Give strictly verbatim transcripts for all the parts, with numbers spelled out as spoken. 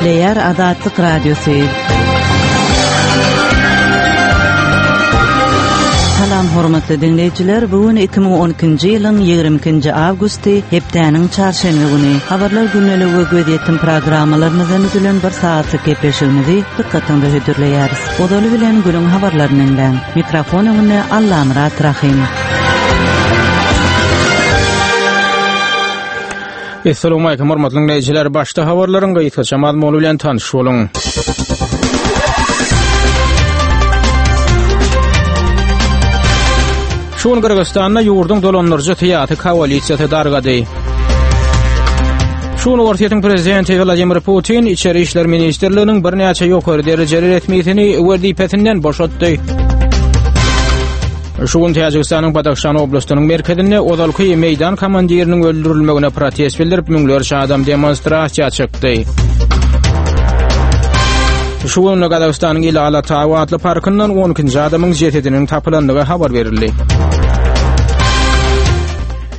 Gepleýär Azatlyk Radiosy. Salam hormatly dinleýjiler. Bu gün iki müň on ikinji ýylyň ýigrimi ikinji awgusty, hepdäniň çarşenbe güni. Habarlar günlügi we gözýetim programmalarymyzdan düzülen bir saatlyk gepleşigimizi dykgatyňyza hödürleýäris. Ozaly bilen günüň habarlaryny dinläň. Mikrofon öňünde Allamyrat Rahim. Esselamu aleyküm hormatly dinleýjiler. Başda habarlaryň gysgaça mazmuny bilen tanyş boluň. Şu gün Gyrgyzystanda ýurduň dolandyryjy syýasy koalisiýasy dargady. Şu gün Orsýetiň prezidenti Wladimir Putin İçeri İşler Ministrliginiň birnäçe ýokary derejeli resmisini wezipesinden boşatdy. Şu gün Täjigistanyň Badahşan oblastynyň merkezinde ozalky meydan komandiriniň öldürilmegine protest bildirip müňlerçe adam demonstrasiýa çykdy. Şu gün Gazagystanyň Ili Alatau atly parkyndan on ikinji adamyň jesediniň tapylandygy habar berildi.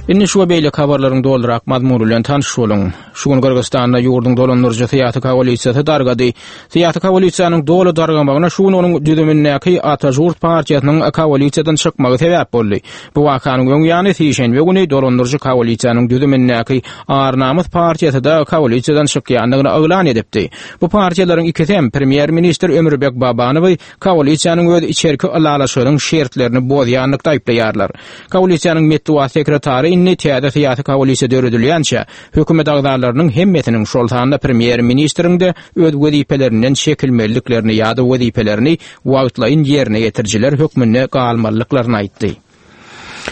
Indi şu we beýleki habarlaryň dolurak mazmuny bilen tanyş boluň. Şu gün Gyrgyzystanda ýurduň dolandyryjy syýasy koalisiýasy dargady. Syýasy koalisiýanyň doly dargamagyna şu gün onuň düzümindäki Atajurt partiýasynyň koalisiýadan çykmagy sebäp boldy. Bu wakanyň öň ýany sişenbe güni dolandyryjy koalisiýanyň düzümindäki Ar-Namys partiýasy da koalisiýadan çykýandygyny yglan edipdi. Bu partiýalaryň ikisi hem premýer-ministr Ömürbek Babanowy koalisiýanyň öz içerki ylalaşygynyň şertlerini bozýanlykda aýyplaýarlar. Koalisiýanyň metbugat sekretary indi täze syýasy koalisiýa döredilýänçä hökümet agzalarynyň hemmesiniň, şol sanda premýer-ministriň de öz wezipelerinden çekilmeliliklerini ýa-da wezipelerini wagtlaýyn ýerine ýetirijiler hökmünde galmalyklaryny aýtdy.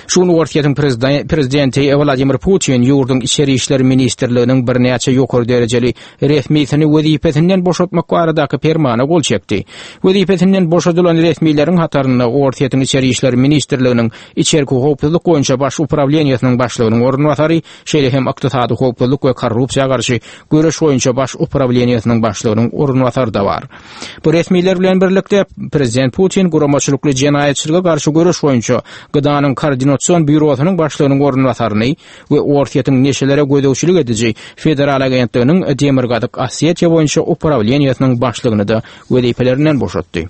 Şu gün Orsýetiň prezident-, prezidenti Wladimir Putin ýurduň İçeri İşler Ministrliginiň birnäçe ýokary derejeli resmisini wezipesinden boşatmak baradaky permana gol çekdi. Wezipesinden boşadylan resmileriň hatarynda Orsýetiň İçeri İşler Ministrliginiň İçerki Howpsuzlyk boýunça baş uprawleniýasynyň başlygynyň orunbasary, şeýle hem Ykdysady Howpsuzlyk we Korrupsiýa garşy göreş boýunça baş uprawleniýasynyň başlygynyň orunbasary da bar. Bu resmiler bilen birlikde Prezident Putin guramaçylykly jenaýatçylyga garşy göreş boýunça Gydanyň koordinatsion býurosynyň başlygynyň orunbasaryny we Orsýetiň neşelere gözegçilik ediji Federal agentliginiň Demirgazyk Osetiýa boýunça uprawleniýasynyň başlygyny da wezipelerinden boşatdy.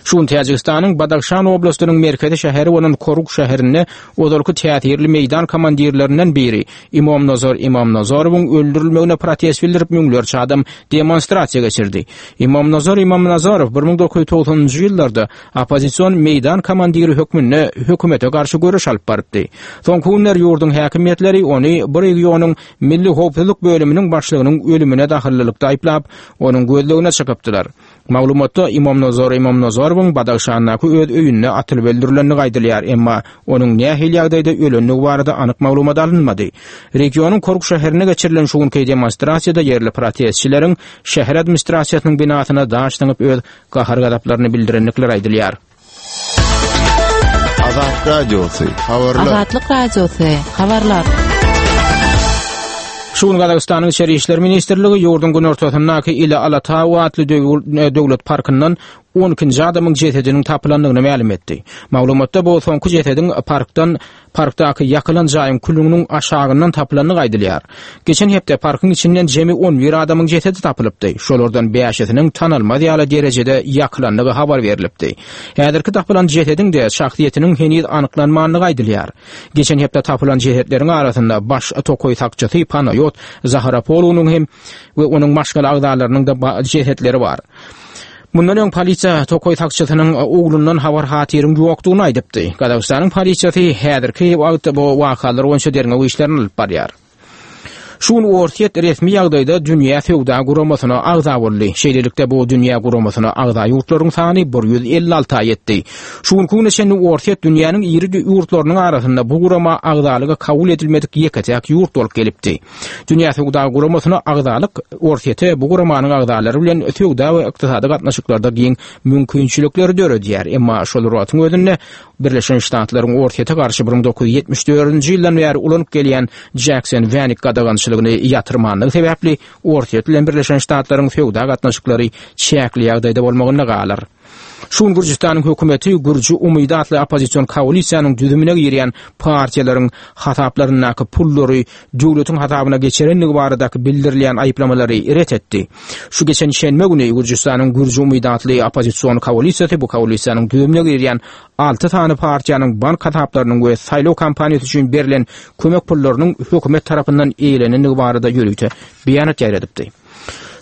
Şu gün Täjigistanyň Badahşan oblastynyň merkezi şäheri bolan Koruk şäherinde ozalky täsirli meydan komandirlerinden biri Imomnazar Imomnazarowyň öldürilmegine protest bildirip müňlerçe adam demonstrasiýa geçirdi. Imomnazar Imomnazarow bir müň dokuz ýüz togsanynjy ýyllarda oppozision meydan komandiri hökmünde hökümete garşy göreş alyp barypdy. Soňky günler ýurduň häkimiýetleri ony bir regionyň Milli Howpsuzlyk bölüminiň başlygynyň ölümine dahyllylykda aýyplap, onuň gözlegine çykypdylar. Maglumatda Imomnazar Imomnazarowyň Badahşandaky öz öýünde atylyp öldürilendigi aýdylýar, emma onuň nähili ýagdaýda ölendigi barada anyk maglumat alynmady. Regionyň Koruk şäherine geçirilen şu günki demonstrasiýada ýerli protestçileriň şäher administrasiýasynyň binasyna daş zyňyp öz gahar-gazaplaryny bildirendikleri aýdylýar. Azat Radiosy, habarlar. Azatlyk Radiosy, habarlar. Şu gün Gazagystanyň İçeri İşler Ministrligi ýurduň günortasyndaky Ili Alatau atly döw-, döwlet parkyndan on ikinji adamyň jesediniň tapylandygyny mälim etdi. Maglumatda bu soňky jesediň parkdan, parkdaky ýakylan jaýyň külüniň aşagyndan tapylandygy aýdylýar. Geçen hepde parkyň içinden jemi on bir adamyň jesedi tapylypdy. Şolardan bäşisiniň tanalmaz ýaly derejede ýakylandygy habar berilipdi. Häzirki tapylan jesediň de şahsyýetiniň heniz anyklanmandygy aýdylýar. Geçen hepde tapylan jesetleriň arasynda baş tokaý sakçysy Panayot Zaharapolunyň hem we onuň maşgala agzalarynyň da ba-, jesetleri bar. Mundan öň polisiýa tokaý sakçysynyň oglundan habar hatyryň ýokdugyny aýdypdy. Gazagystanyň polisiýasy häzirki wagtda bu wakalar boýunça derňew işlerini alyp barýar. Şu gün Orsýet resmi ýagdaýda Dünýä Söwda Guramasyna agza boldy. Şeýlelikde bu Dünýä Guramasyna agza ýurtlaryň sany bir ýüz elli alta ýetdi. Şu günkü güne çenli Orsýet dünýäniň iri ýurtlarynyň arasynda bu gurama agzalyga kabul edilmedik ýeke-täk ýurt bolup gelipdi. Dünýä Söwda Guramasyna agzalyk Orsýete bu guramanyň agzalary bilen söwda we ykdysady gatnaşyklarda giň mümkinçilikleri döredýär. Emma şol wagtyň özünde Birleşen Ştatlaryň Orsýete garşy bir müň dokuz ýüz ýetmiş dördünji ýyldan bäri ulanyp gelýän Jackson-Vanik gadagançylygyny ýatyrmanlygy sebäpli Orsýet bilen Birleşen Ştatlaryň söwda gatnaşyklary çäkli ýagdaýda bolmagynda galar. Şu gün Gürjüstanyň hökümeti Gürji Umydy atly oppozision koalisiýanyň düzümine girýän partiýalaryň hasaplaryndaky pullary döwletiň hasabyna geçirenligi baradaky bildirilýän aýyplamalary ret etdi. Şu geçen şenbe güni Gürjüstanyň Gürji Umydy atly oppozision koalisiýasy bu koalisiýanyň düzümine girýän alty sany partiýanyň bank hasaplarynyň we saýlaw kampaniýasy üçin berlen kömek pullarynyň hökümet tarapyndan eýlenendigi barada ýörite beýanat ýaýradypdy.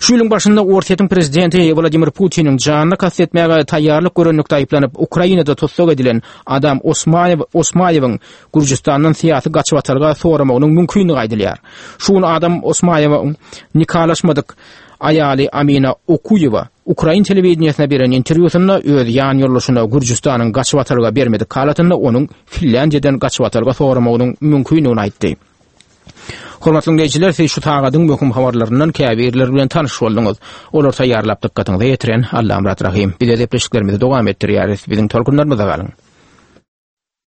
Şu ýylyň başynda Orsýetiň prezidenti Wladimir Putiniň janyna kast etmäge taýýarlyk görenlikde aýyplanyp Ukrainada tussag edilen Adam Osmaýew Osmaýewiň Gürjüstandan syýasy gaçybatalga soramagynyň mümkinligi aýdylýar. Şu gün Adam Osmaýewiň nikalaşmadyk aýaly Amina Okuýewa Ukrain telewideniýesine beren interwýusynda öz ýan ýoldaşyna Gürjüstanyň gaçybatalga bermedik halatynda onuň Finlýandiýadan gaçybatalga soramagynyň mümkinligini aýtdy. Hormatly dinleýjiler, siz şu sagadyň möhüm habarlaryndan käbirleri bilen tanyş bolduňyz. Olar taýýarlap dykgatyňyza ýetiren Allamyrat Rahim. Bize gepleşiklerimizi dowam etdirýäris. Biziň tolkunlarymyzda galyň.